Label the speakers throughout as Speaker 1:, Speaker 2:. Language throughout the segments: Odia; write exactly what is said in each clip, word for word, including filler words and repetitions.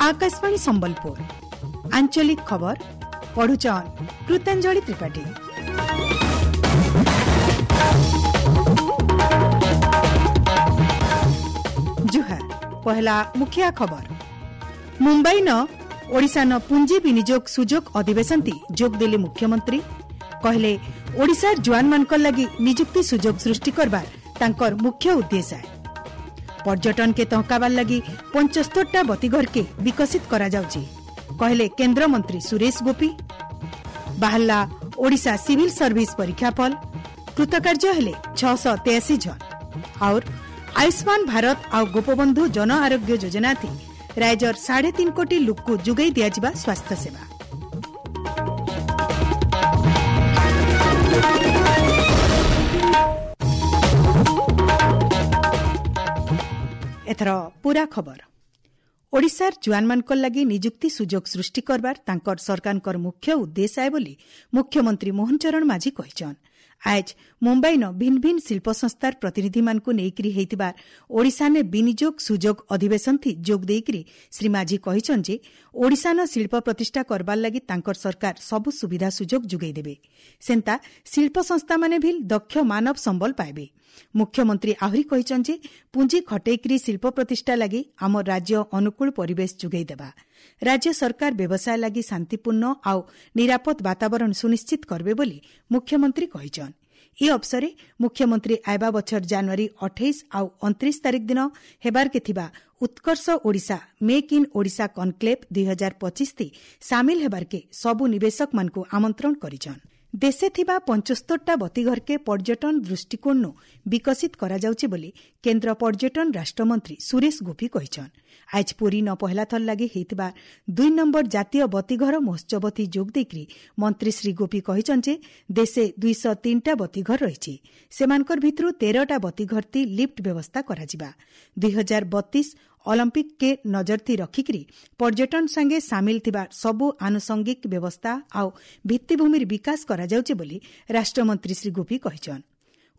Speaker 1: ଆକାଶବାଣୀ ସମ୍ବଲପୁର ଆଞ୍ଚଳିକ ଖବର ପଢୁଛନ୍ କୃତାଞ୍ଜଳି ତ୍ରିପାଠୀ। ଜୁହାର। ପହଲା ମୁଖିଆ ଖବର। ମୁମ୍ବାଇ ନ ଓଡ଼ିଶା ନ ପୁଞ୍ଜି ବିନିଯୋଗ ସୁଯୋଗ ଅଧିବେଶନ ଯୋଗ ଦେଲେ ମୁଖ୍ୟମନ୍ତ୍ରୀ। କହିଲେ ଓଡ଼ିଶାର ଜୁଆନମାନଙ୍କର ଲାଗି ନିଯୁକ୍ତି ସୁଯୋଗ ସୃଷ୍ଟି କରବାର ତାଙ୍କର ମୁଖ୍ୟ ଉଦ୍ଦେଶ୍ୟ। ପର୍ଯ୍ୟଟନକେ ତହକାବାର ଲାଗି ପଞ୍ଚସ୍ତରଟା ବତିଘରକେ ବିକଶିତ କରାଯାଉଛି, କହିଲେ କେନ୍ଦ୍ରମନ୍ତ୍ରୀ ସୁରେଶ ଗୋପୀ। ବାହାରିଲା ଓଡ଼ିଶା ସିଭିଲ ସର୍ଭିସ ପରୀକ୍ଷାଫଳ, କୃତକାର୍ଯ୍ୟ ହେଲେ ଛଅଶହ ତେୟାଅଶୀ ଜଣ। ଆଉ ଆୟୁଷ୍ମାନ ଭାରତ ଆଉ ଗୋପବନ୍ଧୁ ଜନ ଆରୋଗ୍ୟ ଯୋଜନା ଥି ରାଜ୍ୟର ସାଢ଼େ ତିନି କୋଟି ଲୋକକୁ ଯୋଗାଇ ଦିଆଯିବା ସ୍ୱାସ୍ଥ୍ୟସେବା। ଏଥର ପୂରା ଖବର। ଓଡ଼ିଶାର ଜୁଆନମାନଙ୍କର ଲାଗି ନିଯୁକ୍ତି ସୁଯୋଗ ସୃଷ୍ଟି କରବାର ତାଙ୍କର ସରକାରଙ୍କର ମୁଖ୍ୟ ଉଦ୍ଦେଶ୍ୟ ଆଏ ବୋଲି ମୁଖ୍ୟମନ୍ତ୍ରୀ ମୋହନ ଚରଣ ମାଝୀ କହିଛନ୍। ଆଜ ମୁମ୍ବାଇନ ଭିନ୍ନ ଭିନ୍ନ ଶିଳ୍ପ ସଂସ୍ଥାର ପ୍ରତିନିଧିମାନଙ୍କୁ ନେଇକରି ହେଇଥିବା ଓଡ଼ିଶାନେ ବିନିଯୋଗ ସୁଯୋଗ ଅଧିବେଶନ ଥି ଯୋଗ ଦେଇକରି ଶ୍ରୀ ମାଝୀ କହିଛନ୍ ଯେ ଓଡ଼ିଶାନ ଶିଳ୍ପ ପ୍ରତିଷ୍ଠା କରବାର ଲାଗି ତାଙ୍କର ସରକାର ସବୁ ସୁବିଧା ସୁଯୋଗ ଯୋଗାଇ ଦେବେ। ସେନ୍ତା ଶିଳ୍ପ ସଂସ୍ଥାମାନେ ଭିଲ୍ ଦକ୍ଷ ମାନବ ସମ୍ବଳ ପାଇବେ। ମୁଖ୍ୟମନ୍ତ୍ରୀ ଆହୁରି କହିଛନ୍ ଯେ ପୁଞ୍ଜି ଖଟେଇକରି ଶିଳ୍ପ ପ୍ରତିଷ୍ଠା ଲାଗି ଆମ ରାଜ୍ୟ ଅନୁକୂଳ ପରିବେଶ ଯୋଗାଇ ଦେବା। ରାଜ୍ୟ ସରକାର ବ୍ୟବସାୟ ଲାଗି ଶାନ୍ତିପୂର୍ଣ୍ଣ ଆଉ ନିରାପଦ ବାତାବରଣ ସୁନିଶ୍ଚିତ କରିବେ ବୋଲି ମୁଖ୍ୟମନ୍ତ୍ରୀ କହିଛନ୍। ଏ ଅବସରେ ମୁଖ୍ୟମନ୍ତ୍ରୀ ଆଇବା ବଛର ଜାନୁଆରୀ ଅଠେଇଶ ଆଉ ଅଣତିରିଶ ତାରିଖ ଦିନ ହେବାର୍କେ ଥିବା Utkarsh Odisha make in Odisha conclave ଦୁଇ ହଜାର ପଚିଶ ଥି ସାମିଲ ହେବାର୍କେ ସବୁ ନିବେଶକମାନଙ୍କୁ ଆମନ୍ତ୍ରଣ କରିଛନ୍। ଦେଶେ ଥିବା ପଞ୍ଚସ୍ତରଟା ବତିଘରକେ ପର୍ଯ୍ୟଟନ ଦୃଷ୍ଟିକୋଣରୁ ବିକଶିତ କରାଯାଉଛି ବୋଲି କେନ୍ଦ୍ର ପର୍ଯ୍ୟଟନ ରାଷ୍ଟ୍ରମନ୍ତ୍ରୀ ସୁରେଶ ଗୋପୀ କହିଛନ୍। ଆଜ ପୁରୀ ନ ପହଲା ଥର ଲାଗି ହେଇଥିବା ଦୁଇ ନମ୍ବର ଜାତୀୟ ବତିଘର ମହୋତ୍ସବଥି ଯୋଗ ଦେଇକରି ମନ୍ତ୍ରୀ ଶ୍ରୀ ଗୋପୀ କହିଛନ୍ ଯେ ଦେଶେ ଦୁଇଶହ ତିନିଟା ବତିଘର ରହିଛି। ସେମାନଙ୍କର ଭିତରୁ ତେରଟା ବତିଘରତି ଲିଫ୍ଟ ବ୍ୟବସ୍ଥା କରାଯିବା। ଦୁଇ ହଜାର ବତିଶ ଅଲିମ୍ପିକ୍କେ ନଜରଥି ରଖିକରି ପର୍ଯ୍ୟଟନ ସାଙ୍ଗେ ସାମିଲ ଥିବା ସବୁ ଆନୁଷଙ୍ଗିକ ବ୍ୟବସ୍ଥା ଆଉ ଭିତ୍ତିଭୂମିର ବିକାଶ କରାଯାଉଛି ବୋଲି ରାଷ୍ଟ୍ରମନ୍ତ୍ରୀ ଶ୍ରୀ ଗୋପୀ କହିଛନ୍।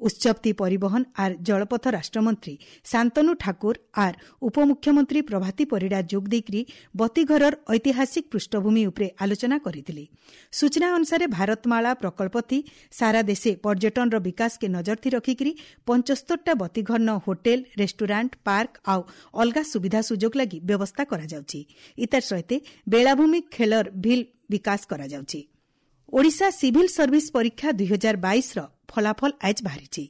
Speaker 1: ଉତ୍ସବତି ପରିବହନ ଆର୍ ଜଳପଥ ରାଷ୍ଟ୍ରମନ୍ତ୍ରୀ ଶାନ୍ତନୁ ଠାକୁର ଆର୍ ଉପମୁଖ୍ୟମନ୍ତ୍ରୀ ପ୍ରଭାତୀ ପରିଡ଼ା ଯୋଗ ଦେଇକରି ବତିଘରର ଐତିହାସିକ ପୃଷ୍ଠଭୂମି ଉପରେ ଆଲୋଚନା କରିଥିଲେ। ସୂଚନା ଅନୁସାରେ ଭାରତମାଳା ପ୍ରକଳ୍ପଥି ସାରା ଦେଶେ ପର୍ଯ୍ୟଟନର ବିକାଶକେ ନଜରଥି ରଖିକରି ପଞ୍ଚସ୍ତରଟା ବତିଘରନ ହୋଟେଲ, ରେଷ୍ଟୁରାଣ୍ଟ, ପାର୍କ ଆଉ ଅଲଗା ସୁବିଧା ସୁଯୋଗ ଲାଗି ବ୍ୟବସ୍ଥା କରାଯାଉଛି। ଇତାର ସହିତ ବେଳାଭୂମି ଖେଳର ଭିଲ୍ ବିକାଶ କରାଯାଉଛି। ଓଡ଼ିଶା ସିଭିଲ ସର୍ଭିସ ପରୀକ୍ଷା ଦୁଇ ହଜାର ବାଇଶର ଫଳାଫଳ ଆଜ ବାହାରିଛି।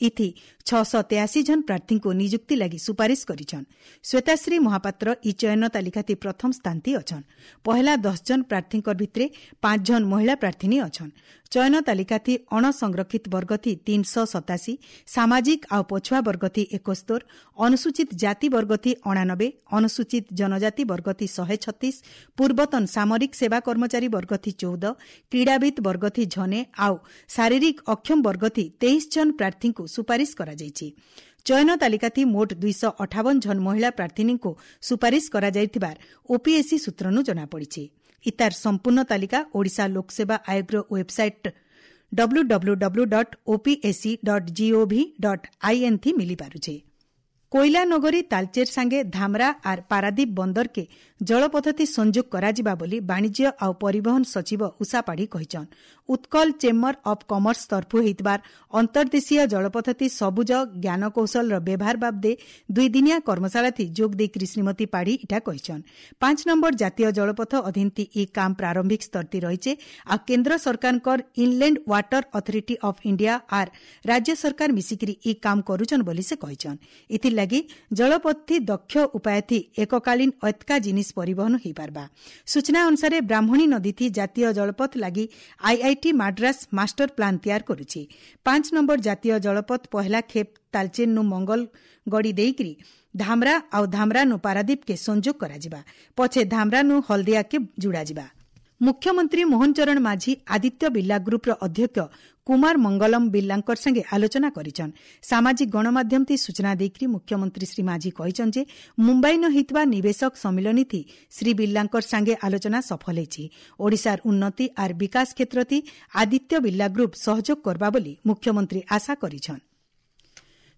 Speaker 1: ଇଥି ଛଅଶହ ତେୟାଅଶୀ ଜଣ ପ୍ରାର୍ଥୀଙ୍କୁ ନିଯୁକ୍ତି ଲାଗି ସୁପାରିଶ କରିଛନ୍। ଶ୍ୱେତାଶ୍ରୀ ମହାପାତ୍ର ଇ ଚୟନ ତାଲିକାତି ପ୍ରଥମ ସ୍ଥାନତି ଅଛନ୍। ପହେଲା ଦଶ ଜଣ ପ୍ରାର୍ଥୀଙ୍କ ଭିତରେ ପାଞ୍ଚ ଜଣ ମହିଳା ପ୍ରାର୍ଥିନୀ ଅଛନ୍। ଚୟନ ତାଲିକାତି ଅଣସଂରକ୍ଷିତ ବର୍ଗଥି ତିନିଶହ ସତାଅଶୀ, ସାମାଜିକ ଆଉ ପଛୁଆ ବର୍ଗଥି ଏକସ୍ତର, ଅନୁସୂଚିତ ଜାତି ବର୍ଗଥି ଅଣାନବେ, ଅନୁସୂଚିତ ଜନଜାତି ବର୍ଗଥି ଶହେ ଛତିଶ, ପୂର୍ବତନ ସାମରିକ ସେବା କର୍ମଚାରୀ ବର୍ଗଥି ଚଉଦ, କ୍ରୀଡ଼ାବିତ୍ ବର୍ଗଥି ଝନେ ଆଉ ଶାରୀରିକ ଅକ୍ଷମ ବର୍ଗଥି ତେଇଶ ଜଣ ପ୍ରାର୍ଥୀଙ୍କୁ ସୁପାରିଶ କରାଯାଇଛି। ଚୟନ ତାଲିକାଥି ମୋଟ ଦୁଇଶହ ଅଠାବନ ଜଣ ମହିଳା ପ୍ରାର୍ଥିନୀଙ୍କୁ ସୁପାରିଶ କରାଯାଇଥିବାର ଓପିଏସ୍ସି ସୂତ୍ରରୁ ଜଣାପଡ଼ିଛି। ଇତାର ସମ୍ପୂର୍ଣ୍ଣ ତାଲିକା ଓଡ଼ିଶା ଲୋକସେବା ଆୟୋଗର website W W W dot OPSC dot GOV dot IN ଥି ମିଳିପାରୁଛି। କୋଇଲା ନଗରୀ ତାଲଚେର ସାଙ୍ଗେ ଧାମରା ଆର୍ ପାରାଦୀପ ବନ୍ଦରକେ ଜଳପଥତି ସଂଯୋଗ କରାଯିବା ବୋଲି ବାଣିଜ୍ୟ ଆଉ ପରିବହନ ସଚିବ ଉଷା ପାଢ଼ୀ କହିଛନ୍। ଉତ୍କଳ ଚେମ୍ବର ଅଫ୍ କମର୍ସ ତରଫୁ ହେଇଥିବାର ଅନ୍ତର୍ଦେଶୀୟ ଜଳପଥତି ସବୁଜ ଜ୍ଞାନକୌଶଳର ବ୍ୟବହାର ବାବଦେ ଦୁଇଦିନିଆ କର୍ମଶାଳାଥି ଯୋଗ ଦେଇକରି ଶ୍ରୀମତୀ ପାଢ଼ୀ ଇଟା କହିଛନ୍। ପାଞ୍ଚ ନମ୍ବର ଜାତୀୟ ଜଳପଥ ଅଧୀନତି ଇ କାମ ପ୍ରାରମ୍ଭିକ ସ୍ତରତି ରହିଛେ ଆଉ କେନ୍ଦ୍ର ସରକାରଙ୍କର inland water authority of India ଆର୍ ରାଜ୍ୟ ସରକାର ମିଶିକରି ଇ କାମ କରୁଛନ୍ ବୋଲି ସେ କହିଛନ୍। ଏଥିର୍ଲାଗି ଜଳପଥି ଦକ୍ଷ ଉପାୟଥି ଏକକାଳୀନ ଅତ୍କା ଜିନିଷ ପରିବହନ ହୋଇପାରବା। ସୂଚନା ଅନୁସାରେ ବ୍ରାହ୍ମଣୀ ନଦୀଥି ଜାତୀୟ ଜଳପଥ ଲାଗି ଆଇଆଇଟି ମାଡ୍ରାସ ମାଷ୍ଟର ପ୍ଲାନ୍ ତିଆର କରୁଛି। ପାଞ୍ଚ ନମ୍ବର ଜାତୀୟ ଜଳପଥ ପହଲା ଖେପ୍ ତାଲଚେନ୍ନୁ ମଙ୍ଗଳଗଡ଼ି ଦେଇକରି ଧାମରା ଆଉ ଧାମରାନୁ ପାରାଦୀପକେ ସଂଯୋଗ କରାଯିବା। ପଛେ ଧାମରାନୁ ହଳଦିଆକେ ଯୋଡ଼ାଯିବା। ମୁଖ୍ୟମନ୍ତ୍ରୀ ମୋହନ ଚରଣ ମାଝୀ ଆଦିତ୍ୟ ବିର୍ଲା ଗ୍ରୁପ୍ର ଅଧ୍ୟକ୍ଷ କୁମାର ମଙ୍ଗଲମ ବିର୍ଲାଙ୍କର ସାଙ୍ଗେ ଆଲୋଚନା କରିଛନ୍। ସାମାଜିକ ଗଣମାଧ୍ୟମଥି ସୂଚନା ଦେଇକରି ମୁଖ୍ୟମନ୍ତ୍ରୀ ଶ୍ରୀ ମାଝୀ କହିଛନ୍ ଯେ ମୁମ୍ବାଇନ ହେଇଥିବା ନିବେଶକ ସମ୍ମିଳନୀଥି ଶ୍ରୀ ବିର୍ଲାଙ୍କର ସାଙ୍ଗେ ଆଲୋଚନା ସଫଳ ହେଇଛି। ଓଡ଼ିଶାର ଉନ୍ନତି ଆର୍ ବିକାଶ କ୍ଷେତ୍ରଥି ଆଦିତ୍ୟ ବିର୍ଲା ଗ୍ରୁପ୍ ସହଯୋଗ କରବା ବୋଲି ମୁଖ୍ୟମନ୍ତ୍ରୀ ଆଶା କରିଛନ୍।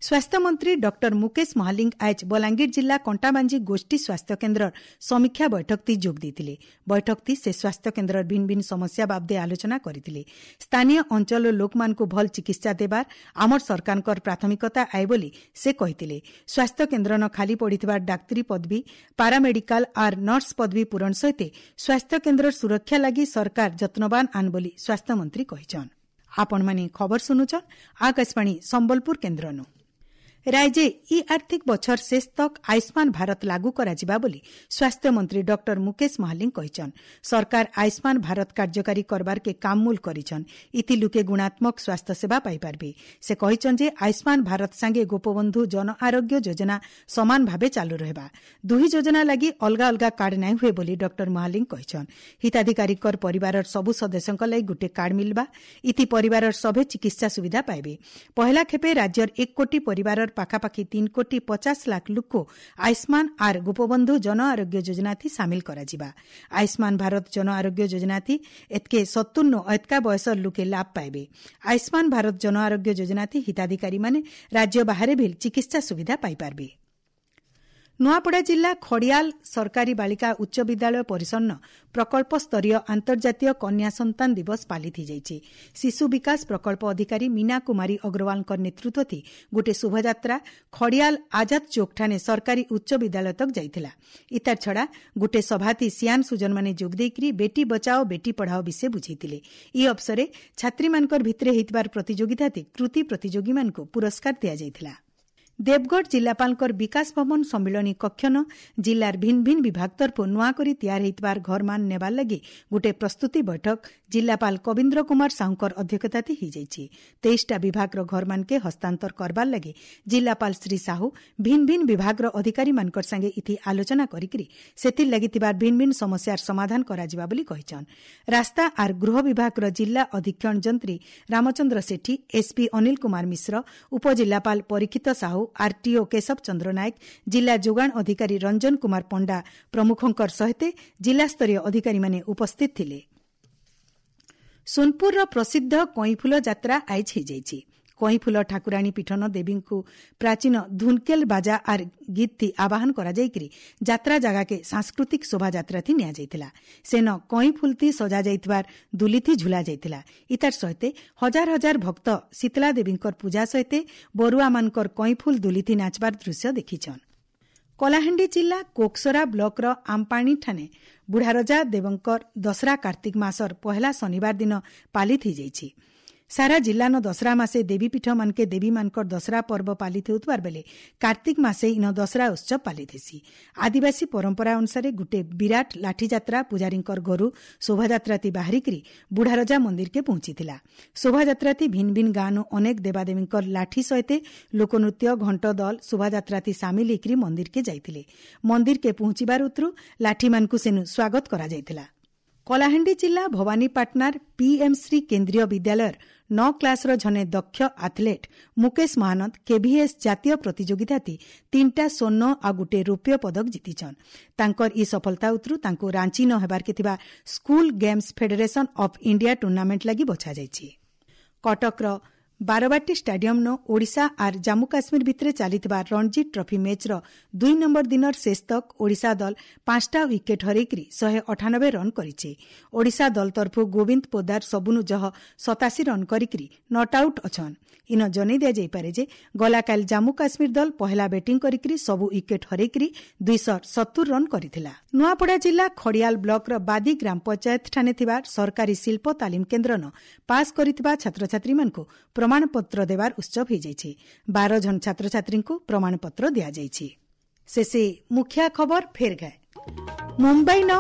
Speaker 1: ସ୍ୱାସ୍ଥ୍ୟମନ୍ତ୍ରୀ ଡକ୍ଟର ମୁକେଶ ମହାଲିଙ୍ଗ ଆଜ ବଲାଙ୍ଗୀର ଜିଲ୍ଲା କଣ୍ଟାବାଞ୍ଜି ଗୋଷ୍ଠୀ ସ୍ୱାସ୍ଥ୍ୟ କେନ୍ଦ୍ରର ସମୀକ୍ଷା ବୈଠକଟି ଯୋଗ ଦେଇଥିଲେ। ବୈଠକଟି ସେ ସ୍ୱାସ୍ଥ୍ୟ କେନ୍ଦ୍ରର ଭିନ୍ନ ଭିନ୍ନ ସମସ୍ୟା ବାବଦେ ଆଲୋଚନା କରିଥିଲେ। ସ୍ଥାନୀୟ ଅଞ୍ଚଳର ଲୋକମାନଙ୍କୁ ଭଲ ଚିକିତ୍ସା ଦେବାର ଆମର ସରକାରଙ୍କର ପ୍ରାଥମିକତା ଆଏ ବୋଲି ସେ କହିଥିଲେ। ସ୍ୱାସ୍ଥ୍ୟ କେନ୍ଦ୍ରନ ଖାଲି ପଡ଼ିଥିବା ଡାକ୍ତରୀ ପଦବୀ, ପାରାମେଡିକାଲ ଆର୍ ନର୍ସ ପଦବୀ ପୂରଣ ସହିତ ସ୍ୱାସ୍ଥ୍ୟ କେନ୍ଦ୍ରର ସୁରକ୍ଷା ଲାଗି ସରକାର ଯତ୍ନବାନ ଆନ୍ ବୋଲି ସ୍ୱାସ୍ଥ୍ୟମନ୍ତ୍ରୀ କହିଛନ୍। ଆପଣମାନେ ଖବର ଶୁଣୁଛନ୍ ଆକାଶବାଣୀ ସମ୍ବଲପୁର କେନ୍ଦ୍ରନୁ। ରାଜ୍ୟେ ଇ ଆର୍ଥିକ ବଛର ଶେଷ ତକ୍ ଆୟୁଷ୍ମାନ ଭାରତ ଲାଗୁ କରାଯିବା ବୋଲି ସ୍ୱାସ୍ଥ୍ୟମନ୍ତ୍ରୀ ଡକ୍ଟର ମୁକେଶ ମହାଲିଙ୍ଗ କହିଛନ୍। ସରକାର ଆୟୁଷ୍ମାନ ଭାରତ କାର୍ଯ୍ୟକାରୀ କରବାରକେ କାମମୂଲ କରିଛନ୍। ଇଥି ଲୁକେ ଗୁଣାତ୍ମକ ସ୍ୱାସ୍ଥ୍ୟ ସେବା ପାଇପାରବେ। ସେ କହିଛନ୍ ଯେ ଆୟୁଷ୍ମାନ ଭାରତ ସାଙ୍ଗେ ଗୋପବନ୍ଧୁ ଜନ ଆରୋଗ୍ୟ ଯୋଜନା ସମାନ ଭାବେ ଚାଲୁ ରହିବା। ଦୁହି ଯୋଜନା ଲାଗି ଅଲଗା ଅଲଗା କାର୍ଡ ନାଇଁ ହୁଏ ବୋଲି ଡକ୍ଟର ମହାଲିଙ୍ଗ କହିଛନ୍। ହିତାଧିକାରୀଙ୍କର ପରିବାରର ସବୁ ସଦସ୍ୟଙ୍କ ଲାଗି ଗୁଟେ କାର୍ଡ ମିଲବା। ଇଥି ପରିବାରର ସଭେ ଚିକିତ୍ସା ସୁବିଧା ପାଇବେ। ପହଲା ଖେପେ ରାଜ୍ୟର ଏକ କୋଟି ପରିବାରର ପାଖାପାଖି ତିନି କୋଟି ପଚାଶ ଲାଖ ଲୋକ ଆୟୁଷ୍ମାନ ଆର୍ ଗୋପବନ୍ଧୁ ଜନ ଆରୋଗ୍ୟ ଯୋଜନାଥି ସାମିଲ କରାଯିବା। ଆୟୁଷ୍ମାନ ଭାରତ ଜନ ଆରୋଗ୍ୟ ଯୋଜନାଥି ଏତ୍କେ ସତୁର ନୁ ଏତ୍କା ବୟସର ଲୋକେ ଲାଭ ପାଇବେ। ଆୟୁଷ୍ମାନ ଭାରତ ଜନ ଆରୋଗ୍ୟ ଯୋଜନାଥି ହିତାଧିକାରୀମାନେ ରାଜ୍ୟ ବାହାରେ ବି ଚିକିତ୍ସା ସୁବିଧା ପାଇପାରିବେ। ନୂଆପଡ଼ା ଜିଲ୍ଲା ଖଡ଼ିଆଲ ସରକାରୀ ବାଳିକା ଉଚ୍ଚ ବିଦ୍ୟାଳୟ ପରିସରନ ପ୍ରକଳ୍ପ ସ୍ତରୀୟ ଆନ୍ତର୍ଜାତୀୟ କନ୍ୟା ସନ୍ତାନ ଦିବସ ପାଳିତ ହୋଇଯାଇଛି। ଶିଶୁ ବିକାଶ ପ୍ରକଳ୍ପ ଅଧିକାରୀ ମୀନା କୁମାରୀ ଅଗ୍ରୱାଲଙ୍କ ନେତୃତ୍ୱ ଗୋଟିଏ ଶୋଭାଯାତ୍ରା ଖଡ଼ିଆଲ ଆଜାଦ ଚୌକଠାନେ ସରକାରୀ ଉଚ୍ଚ ବିଦ୍ୟାଳୟ ତକ୍ ଯାଇଥିଲା। ଇତାର ଛଡ଼ା ଗୋଟିଏ ସଭାତି ସିଆନ ସୁଜନମାନେ ଯୋଗ ଦେଇକରି ବେଟି ବଚାଓ ବେଟି ପଢ଼ାଓ ବିଷୟ ବୁଝେଇଥିଲେ। ଇ ଅବସରେ ଛାତ୍ରୀମାନଙ୍କର ଭିତରେ ହେଇଥିବାର ପ୍ରତିଯୋଗିତାତି କୃତି ପ୍ରତିଯୋଗୀମାନଙ୍କୁ ପୁରସ୍କାର ଦିଆଯାଇଥିଲା। ଦେବଗଡ଼ ଜିଲ୍ଲାପାଳଙ୍କର ବିକାଶ ଭବନ ସମ୍ମିଳନୀ କକ୍ଷନ ଜିଲ୍ଲାର ଭିନ୍ନ ଭିନ୍ନ ବିଭାଗ ତରଫରୁ ନୂଆ କରି ତିଆର ହେଇଥିବାର ଘରମାନ ନେବାର ଲାଗି ଗୋଟିଏ ପ୍ରସ୍ତୁତି ବୈଠକ ଜିଲ୍ଲାପାଳ କବୀନ୍ଦ୍ର କୁମାର ସାହୁଙ୍କର ଅଧ୍ୟକ୍ଷତାତି ହୋଇଯାଇଛି। ତେଇଶଟା ବିଭାଗର ଘରମାନକେ ହସ୍ତାନ୍ତର କରବାର ଲାଗି ଜିଲ୍ଲାପାଳ ଶ୍ରୀ ସାହୁ ଭିନ୍ନ ଭିନ୍ନ ବିଭାଗର ଅଧିକାରୀମାନଙ୍କର ସାଙ୍ଗେ ଇଥି ଆଲୋଚନା କରିକିରି ସେଥିର୍ ଲାଗି ଥିବାର ଭିନ୍ନ ଭିନ୍ନ ସମସ୍ୟାର ସମାଧାନ କରାଯିବା ବୋଲି କହିଛନ୍। ରାସ୍ତା ଆର୍ ଗୃହ ବିଭାଗର ଜିଲ୍ଲା ଅଧୀକ୍ଷଣ ଯନ୍ତ୍ରୀ ରାମଚନ୍ଦ୍ର ସେଠୀ, ଏସ୍ପି ଅନିଲ କୁମାର ମିଶ୍ର, ଉପଜିଲ୍ଲାପାଳ ପରୀକ୍ଷିତ ସାହୁ, ଆରଟିଓ କେଶବ ଚନ୍ଦ୍ର ନାୟକ, ଜିଲ୍ଲା ଯୋଗାଣ ଅଧିକାରୀ ରଞ୍ଜନ କୁମାର ପଣ୍ଡା ପ୍ରମୁଖଙ୍କ ସହିତ ଜିଲ୍ଲାସ୍ତରୀୟ ଅଧିକାରୀମାନେ ଉପସ୍ଥିତ ଥିଲେ। ସୋନପୁରର ପ୍ରସିଦ୍ଧ କଇଁଫୁଲ ଯାତ୍ରା ଆଇଜ ହୋଇଯାଇଛି। କଇଁଫୁଲ ଠାକୁରାଣୀ ପୀଠନ ଦେବୀଙ୍କୁ ପ୍ରାଚୀନ ଧୁନକେଲ ବାଜା ଆର୍ ଗୀତଥି ଆବାହନ କରାଯାଇକରି ଯାତ୍ରା ଜାଗାକେ ସାଂସ୍କୃତିକ ଶୋଭାଯାତ୍ରାଥି ନିଆଯାଇଥିଲା। ସେନ କଇଁଫୁଲଥି ସଜାଯାଇଥିବାର ଦୁଲିଥି ଝୁଲା ଯାଇଥିଲା। ଇତାର ସହିତ ହଜାର ହଜାର ଭକ୍ତ ଶୀତଲା ଦେବୀଙ୍କର ପୂଜା ସହିତ ବରୁଆମାନଙ୍କର କଇଁଫୁଲ ଦୁଲିଥି ନାଚବାର ଦୃଶ୍ୟ ଦେଖିଛନ୍। କଳାହାଣ୍ଡି ଜିଲ୍ଲା କୋକସରା ବ୍ଲକର ଆମପାଣିଠାନେ ବୁଢ଼ାରଜା ଦେବଙ୍କର ଦଶରା କାର୍ତ୍ତିକ ମାସର ପହେଲା ଶନିବାର ଦିନ ପାଳିତ ହୋଇଯାଇଛି। ସାରା ଜିଲ୍ଲାନ ଦଶରା ମାସେ ଦେବୀପୀଠମାନକେ ଦେବୀମାନଙ୍କର ଦଶରା ପର୍ବ ପାଳିତ ହେଉଥିବାର ବେଲେ କାର୍ତ୍ତିକ ମାସେ ଇନ ଦଶରା ଉତ୍ସବ ପାଳିତ ହେସି। ଆଦିବାସୀ ପରମ୍ପରା ଅନୁସାରେ ଗୁଟେ ବିରାଟ ଲାଠିଯାତ୍ରା ପୂଜାରୀଙ୍କର ଘରୁ ଶୋଭାଯାତ୍ରାତି ବାହାରିକରି ବୁଢ଼ାରଜା ମନ୍ଦିରକେ ପହଞ୍ଚିଥିଲା। ଶୋଭାଯାତ୍ରାତି ଭିନ୍ନ ଭିନ୍ନ ଗାଁନୁ ଅନେକ ଦେବାଦେବୀଙ୍କର ଲାଠି ସହିତ ଲୋକନୃତ୍ୟ, ଘଣ୍ଟ ଦଲ ଶୋଭାଯାତ୍ରାତି ସାମିଲ ହେଇକରି ମନ୍ଦିରକେ ଯାଇଥିଲେ। ମନ୍ଦିରକେ ପହଞ୍ଚିବାର ଉତରୁ ଲାଠିମାନଙ୍କୁ ସେନୁ ସ୍ୱାଗତ କରାଯାଇଥିଲା। କଳାହାଣ୍ଡି ଜିଲ୍ଲା ଭବାନୀପାଟଣାର ପିଏମ୍ଶ୍ରୀ କେନ୍ଦ୍ରୀୟ ବିଦ୍ୟାଳୟର ନଅ କ୍ଲାସ୍ର ଜଣେ ଦକ୍ଷ ଆଥଲେଟ୍ ମୁକେଶ ମହାନନ୍ଦ କେଭିଏସ୍ ଜାତୀୟ ପ୍ରତିଯୋଗିତାତି ତିନିଟା ସ୍ୱର୍ଣ୍ଣ ଆଉ ଗୋଟିଏ ରୌପ୍ୟ ପଦକ ଜିତିଛନ୍। ତାଙ୍କର ଇ ସଫଳତା ଉତରୁ ତାଙ୍କୁ ରାଞ୍ଚି ନ ହେବାର୍କେ ଥିବା school games federation of India tournament ଲାଗି ବଛାଯାଇଛି। କଟକର ବାରବାଟୀ ଷ୍ଟାଡିୟମ୍ନ ଓଡ଼ିଶା ଆର୍ ଜାମ୍ମୁ କାଶ୍ମୀର ଭିତରେ ଚାଲିଥିବା ରଣଜୀ ଟ୍ରଫି ମ୍ୟାଚ୍ର ଦୁଇ ନମ୍ବର ଦିନର ଶେଷ ତକ୍ ଓଡ଼ିଶା ଦଳ ପାଞ୍ଚଟା ୱିକେଟ୍ ହରେଇକରି ଶହେ ଅଠାନବେ ରନ୍ କରିଛି। ଓଡ଼ିଶା ଦଳ ତରଫରୁ ଗୋବିନ୍ଦ ପୋଦାର ସବୁନୁ ଜହ ସତାଅଶୀ ରନ୍ କରିକରି not out ଅଛନ୍। ଇନ ଜଣେଇ ଦିଆଯାଇପାରେ ଯେ ଗଲାକାଲି ଜାମ୍ମୁ କାଶ୍ମୀର ଦଳ ପହେଲା ବ୍ୟାଟିଂ କରିକରି ସବୁ ୱିକେଟ୍ ହରେଇକରି ଦୁଇଶହ ସତୁର ରନ୍ କରିଥିଲା। ନୂଆପଡ଼ା ଜିଲ୍ଲା ଖଡ଼ିଆଲ ବ୍ଲକର ବାଦି ଗ୍ରାମ ପଞ୍ଚାୟତଠାନେ ଥିବା ସରକାରୀ ଶିଳ୍ପ ତାଲିମ କେନ୍ଦ୍ରନ ପାସ୍ କରିଥିବା ଛାତ୍ରଛାତ୍ରୀମାନଙ୍କୁ ପ୍ରମାଣପତ୍ର ଦେବାର ଉତ୍ସବ ହୋଇଯାଇଛି। ବାର ଜଣ ଛାତ୍ରଛାତ୍ରୀଙ୍କୁ ପ୍ରମାଣପତ୍ର ଦିଆଯାଇଛି। ଶେଷେ ମୁଖିଆ ଖବର ଫେର ଗାଏ। ମୁମ୍ବାଇ ନ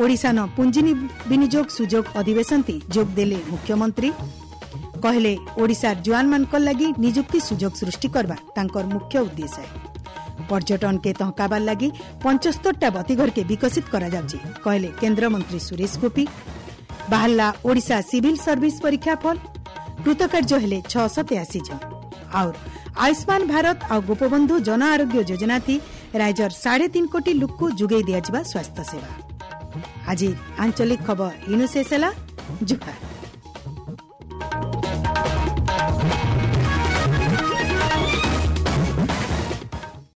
Speaker 1: ଓଡ଼ିଶା ନ ପୁଞ୍ଜି ବିନିଯୋଗ ସୁଯୋଗ ଅଧିବେଶନତି ଯୋଗ ଦେଲେ ମୁଖ୍ୟମନ୍ତ୍ରୀ। କହିଲେ ଓଡ଼ିଶାର ଜୁଆନମାନଙ୍କର ଲାଗି ନିଯୁକ୍ତି ସୁଯୋଗ ସୃଷ୍ଟି କରିବା ତାଙ୍କର ମୁଖ୍ୟ ଉଦ୍ଦେଶ୍ୟ। ପର୍ଯ୍ୟଟନକେ ତହକାବାର ଲାଗି ପଞ୍ଚସ୍ତରଟା ବତୀଘରକେ ବିକଶିତ କରାଯାଉଛି, କହିଲେ କେନ୍ଦ୍ରମନ୍ତ୍ରୀ ସୁରେଶ ଗୋପୀ। ବାହାରିଲା ଓଡ଼ିଶା ସିଭିଲ ସର୍ଭିସ ପରୀକ୍ଷା ଫଳ, କୃତକାର୍ଯ୍ୟ ହେଲେ ଛଅଶହ ତେୟାଅଶୀ ଜଣ। ଆଉ ଆୟୁଷ୍ମାନ ଭାରତ ଆଉ ଗୋପବନ୍ଧୁ ଜନ ଆରୋଗ୍ୟ ଯୋଜନାଥି ରାଜ୍ୟର ସାଢ଼େ ତିନି କୋଟି ଲୋକକୁ ଯୋଗାଇ ଦିଆଯିବା ସ୍ୱାସ୍ଥ୍ୟ ସେବା। ଆଜି ଆଞ୍ଚଳିକ ଖବର ଇନୁ ଶେଷ ହେଲା। ଜୁହାର।